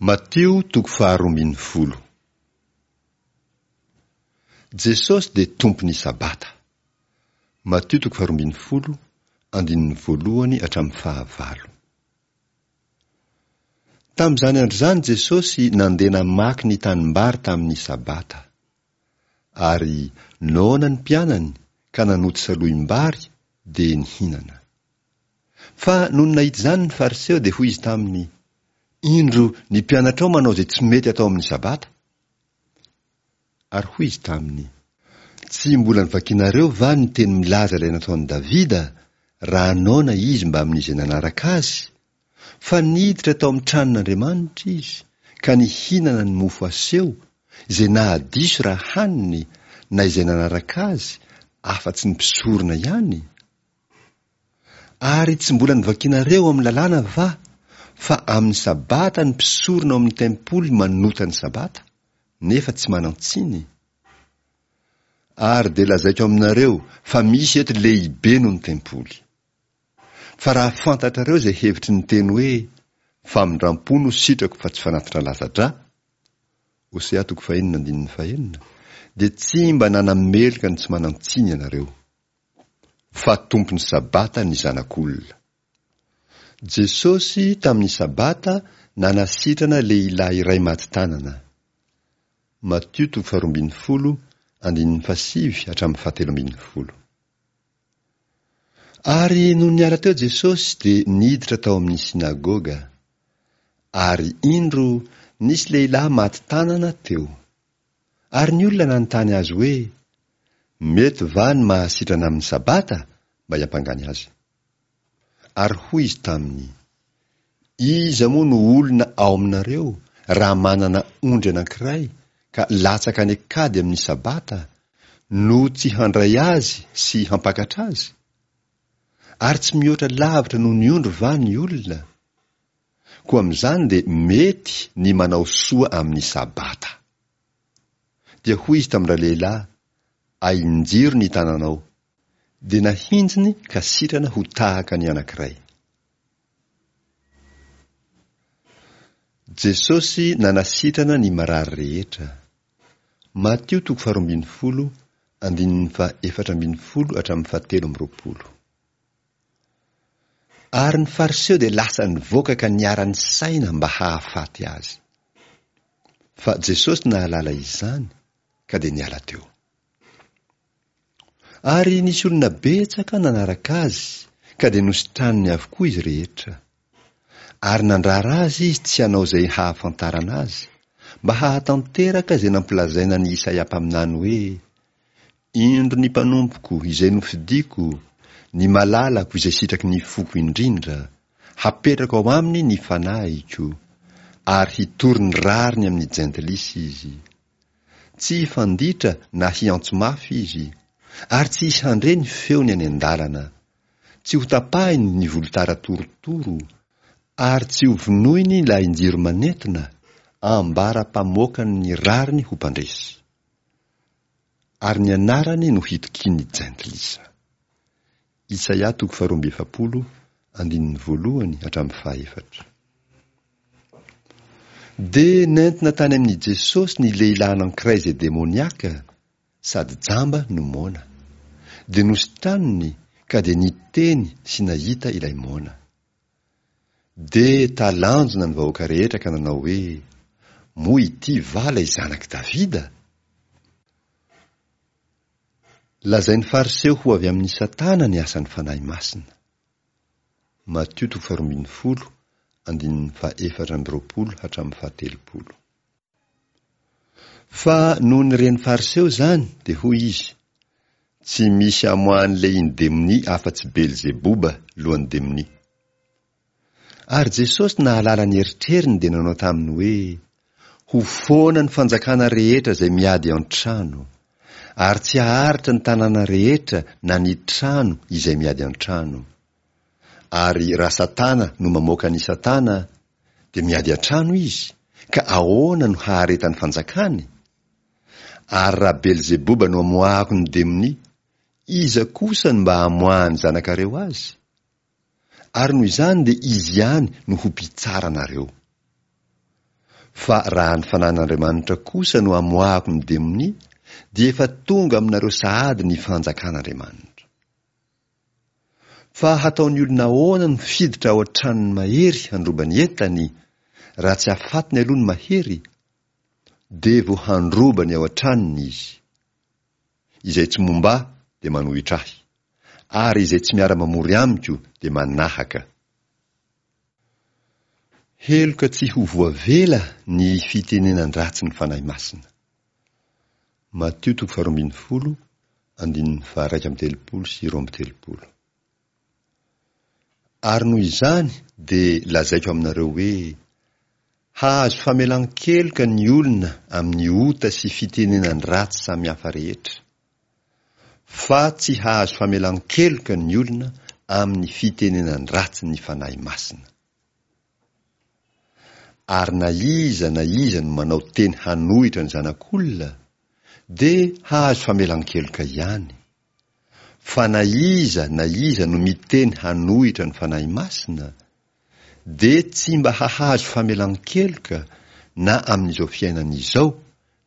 Matio toko faharoa ambin'ny folo. Jesosy dia Tompon'ny Sabata. Matio toko faharoa ambin'ny folo, andininy voalohany hatramin'ny fahavalo. Tamin'izany andro izany Jesosy nandeha namaky ny tanimbary tamin'ny Sabata. Ary noana ny mpianany ka nanoty salohim-bary dia nihinana. Fa nony nahita izany ny Fariseo dia hoy izy taminy, Indro ny mpianatrao manao izay tsy mety atao amin'ny Sabata. Ary hoy izy taminy, Tsy mbola novakinareo va ny teny milaza ilay nataon'i Davida, raha noana izy mbamin'izay nanaraka azy, fa niditra tao amin'ny tranon'Andriamanitra izy, ka nihinana ny mofo aseho, izay nahadiso raha haniny, na izay nanaraka azy, afa-tsy ny mpisorona ihany? Ary tsy mbola novakinareo ao amin'ny lalàna va fa amin'ny Sabata ny mpisorona ao amin'ny tempoly manota ny Sabata, nefa tsy manan-tsiny? Ary dia lazaiko aminareo fa misy eto lehibe noho ny tempoly. Fa raha fantatrareo izay hevitry ny teny hoe, Famindram-po no sitrako fa tsy fanatitra latsa-drà, Hosea toko fahenina andininy fahenina, dia tsy mba nanameloka ny tsy manan-tsiny ianareo. Fa Tompon'ny Sabata ny Zanak'olona. Jesosy tamin'ny Sabata nanasitrana lehilahy iray maty tanana. Matio toko faharoa ambin'ny folo, andininy fahasivy hatramin'ny fahatelo ambin'ny folo. Ary nony niala teo Jesosy dia niditra tao amin'ny synagoga. Ary indro nisy lehilahy maty tanana teo. Ary ny olona nanontany azy hoe, Mety va ny mahasitrana amin'ny Sabata? mba hiampangany azy. Ary hoy izy taminy, Iza moa no olona ao aminareo raha manana ondry anankiray ka latsaka any an-kady amin'ny Sabata, no tsy handray azy sy hampakatra azy? Ary tsy mihoatra lavitra noho ny ondry va ny olona? Koa amin'izany dia mety ny manao soa amin'ny Sabata. Dia hoy izy tamin-dralehilahy, Ahinjiro ny tananao. Dia nahinjiny ka sitrana ho tahaka ny anankiray. Jesosy nanasitrana ny marary rehetra. Matio toko faharoa ambin'ny folo, andininy faha-efatra ambin'ny folo hatramin'ny fahatelo amby roapolo. Ary ny Fariseo dia lasa nivoaka ka niara-nisaina mba hahafaty azy. Fa Jesosy nahalala izany, ka dia niala teo. Ary nisy olona betsaka nanaraka azy, ka dia nositraniny avokoa izy rehetra. Ary nandrara azy izy tsy hanao izay hahafantarana azy, mba hahatanteraka izay nampilazaina an'i Isaia mpaminany hoe, Indro ny mpanompoko izay nofidiko, ny malalako izay sitraky ny foko indrindra, hapetrako ao aminy ny fanahiko, ary hitory ny rariny amin'ny jentilisa izy. Tsy hifanditra na hiantso mafy izy, ary tsy hisy handre ny feony any an-dalana. Tsy hotapahiny ny volotara torotoro, ary tsy hovonoiny ny lahin-jiro manentona, ambara-pamoakany ny rariny ho mpandresy. Ary ny anarany no hitokian'ny jentilisa. Isaia toko faharoa amby efapolo, andininy voalohany hatramin'ny fahaefatra. Dia nentina tany amin'i Jesosy ny lehilahy anankiray izay demoniaka, sady jamba no moana. Dia nositraniny ka dia niteny sy nahita ilay moana. Dia talanjona ny vahoaka rehetra ka nanao hoe, Moa ity va ilay zanak'i Davida? Lazain'ny Fariseo ho avy amin'i Satana ny asan'ny Fanahy Masina. Matio toko faharoa ambin'ny folo, andininy fahaefatra amby roapolo hatramin'ny fahatelopolo. Fa nony ren'ny Fariseo izany, dia hoy izy, Tsy misy amoahan'ny lehiny demonia afa-tsy Belzeboba, lohan'ny demonia. Ary Jesosy nahalala ny eritreriny dia nanao taminy hoe, Ho foana ny fanjakana rehetra izay miady an-trano, ary tsy haharitra ny tanàna rehetra na ny trano izay miady an-trano. Ary raha Satana no mamoaka an'i Satana, dia miady an-trano izy, ka ahoana no haharetan'ny fanjakany? Ary raha Belzeboba no amoahako ny demonia, iza kosa no mba hamoahan'ny zanakareo azy? Ary noho izany dia izy ihany no ho mpitsara anareo. Fa raha ny Fanahin'Andriamanitra kosa no amoahako ny demonia, dia efa tonga aminareo sahady ny fanjakan'Andriamanitra. Fa hataon'ny olona ahoana no hiditra ao an-tranon'ny mahery handroba ny entany, raha tsy afatiny aloha ny mahery? Dia vao handroba ny ao an-tranony izy. Izay tsy momba ahy dia manohitra ahy, ary izay tsy miara-mamory amiko dia manahaka. Heloka tsy ho voavela ny fitenenan-dratsy ny Fanahy Masina. Matio toko faharoa ambin'ny folo, andininy faha-31 sy 32. Ary noho izany dia lazaiko aminareo hoe, Hahazo famelan-keloka ny olona amin'ny ota sy fitenenan-dratsy samihafa rehetra, fa tsy hahazo famelan-keloka ny olona amin'ny fitenenan-dratsy ny Fanahy Masina. Ary na iza na iza no manao teny hanohitra ny Zanak'olona, dia hahazo famelan-keloka ihany. Fa na iza na iza no miteny hanohitra ny Fanahy Masina, dia tsy mba hahazo famelan-keloka na amin'izao fiainana izao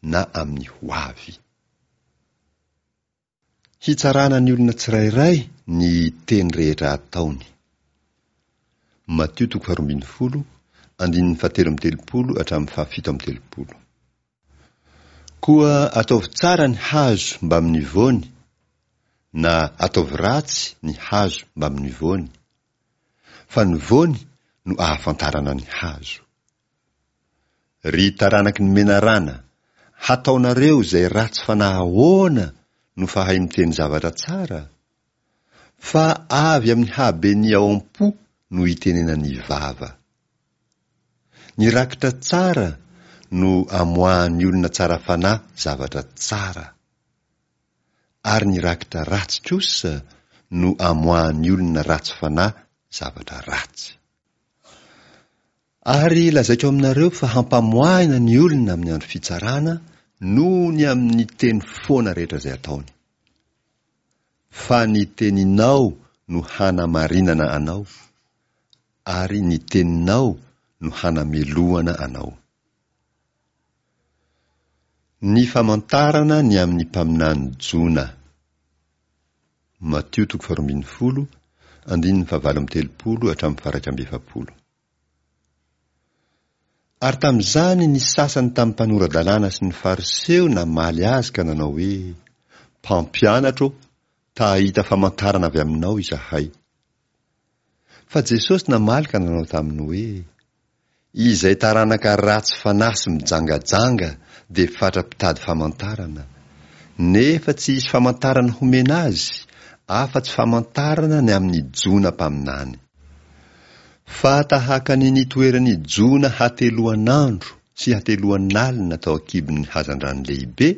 na amin'ny ho avy. Hitsarana ny olona tsirairay ny teny rehetra ataony. Matio toko faharoa ambin'ny folo, andininy fahatelo amby telopolo hatramin'ny fahafito amby telopolo. Koa ataovy tsara ny hazo mbamin'ny voany, na ataovy ratsy ny hazo mbamin'ny voany, fa ny voany no ahafantarana ny hazo. Ry taranaky ny menarana, hataonareo izay ratsy fanahy ahoana no fahay miteny zavatra tsara? Fa avy amin'ny haben'ny ao am-po no itenenan'ny vava. Ny rakitra tsara no amoahan'ny olona tsara fanahy zavatra tsara. Ary ny rakitra ratsy kosa no amoahan'ny olona ratsy fanahy zavatra ratsy. Ary lazaiko aminareo fa hampamoahina ny olona amin'ny andro fitsarana noho ny amin'ny teny foana rehetra izay ataony. Fa ny teninao no hanamarinana anao, ary ny teninao no hanamelohana anao. Ny famantarana ny amin'ny mpaminany Jona. Matio toko faharoa ambin'ny folo, andininy fahavalo amby telopolo hatramin'ny faha-iraika amby efapolo. Ary tamin'izany ny sasany tamin'ny mpanora-dalàna sy ny Fariseo namaly azy ka nanao hoe, Mpampianatra ô, ta hahita famantarana avy aminao izahay. Fa Jesosy namaly ka nanao taminy hoe, Izay taranaka ratsy fanahy sy mijangajanga dia fatra-pitady famantarana, nefa tsy hisy famantarana homena azy afa-tsy famantarana ny amin'i Jona mpaminany. Fa tahaka ny nitoeran'i Jona hateloan'andro sy hateloan'alina tao an-kibon'ny hazandrano lehibe,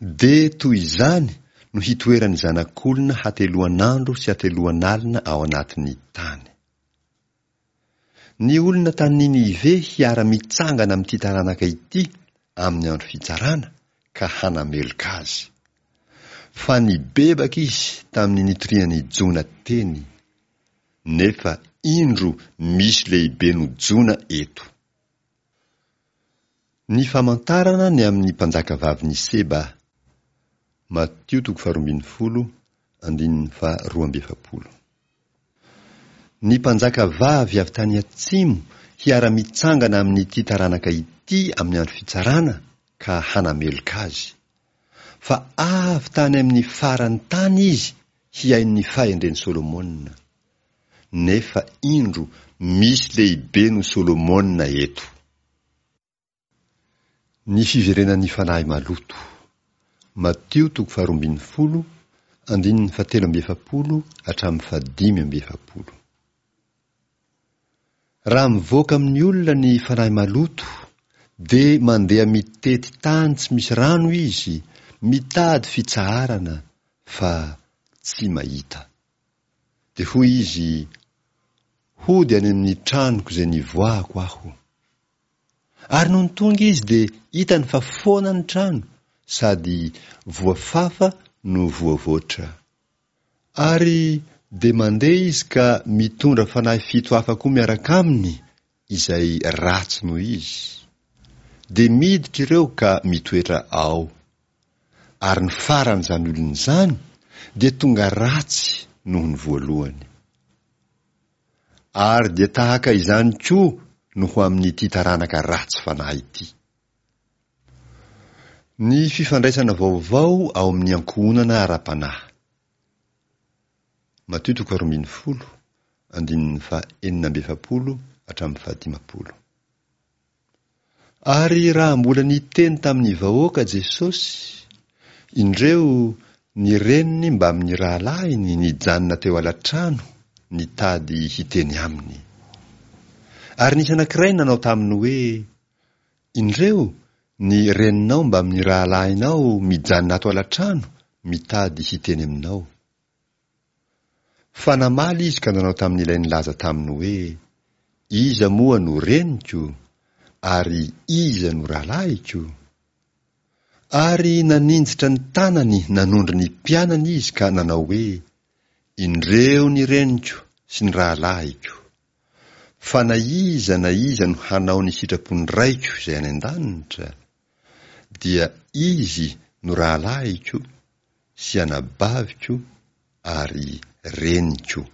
dia toy izany no hitoeran'ny Zanak'olona hateloan'andro sy hateloan'alina ao anatin'ny tany. Ny olona tany Ninive hiara-mitsangana amin'ity taranaka ity amin'ny andro fitsarana ka hanameloka azy. Fa nibebaka izy tamin'ny nitorian'i Jona teny, nefa indro misy lehibe noho Jona eto. Ny famantarana ny amin'ny mpanjakavavin'i Seba. Matio toko faharoa ambin'ny folo, andininy faharoa amby efapolo. Ny mpanjaka vavy avy tany atsimo hiara-mitsangana amin'ity taranaka ity amin'ny andro fitsarana ka hanameloka azy. Fa avy tany amin'ny faran'ny tany izy hihaino ny fahendren'i Solomona. Nefa indro misy lehibe noho Solomona eto. Ny fiverenan'ny fanahy maloto. Matio toko faharoa ambin'ny folo, andininy fahatelo amby efapolo hatramin'ny fahadimy amby efapolo. Raha mivoaka amin'ny olona ny fanahy maloto, dia mandeha mitety tany tsy misy rano izy, mitady fitsaharana, fa tsy mahita. Dia hoy izy, Hody any amin'ny tranoko izay nivoahako aho. Ary nony tonga izy dia hitany fa foana ny trano sady voafafa no voavoatra. Ary dia mandeha izy ka mitondra fanahy fito hafa koa miaraka aminy. izay ratsy noho izy. Dia miditra ireo ka mitoetra ao. Ary ny faran'izany olona izany dia tonga ratsy noho ny voalohany. Ary dia tahaka izany koa no ho amin'ity taranaka ratsy fanahy ity. Ny fifandraisana vaovao ao amin'ny ankohonana ara-panahy. Matio toko 12, andininy faha 46 hatramin'ny faha 50. Ary raha mbola niteny tamin'ny vahoaka Jesosy, indreo ny reniny mbamin'ny rahalahiny nijanona teo ala-trano nitady hiteny aminy. Ary nisy anankiray nanao taminy hoe, Indreo, ny reninao mbamin'ny rahalahinao mijanona ato ala-trano mitady hiteny aminao. Fa namaly izy ka nanao tamin'ilay nilaza taminy hoe, Iza moa no reniko, ary iza no rahalahiko? Ary naninjitra ny tanany nanondro ny mpianany izy ka nanao hoe, Indreo ny reniko sy ny rahalahiko! Fa na iza na iza no hanao ny sitrapon'ny Raiko izay any an-danitra, dia izy no rahalahiko sy anabaviko ary reniko.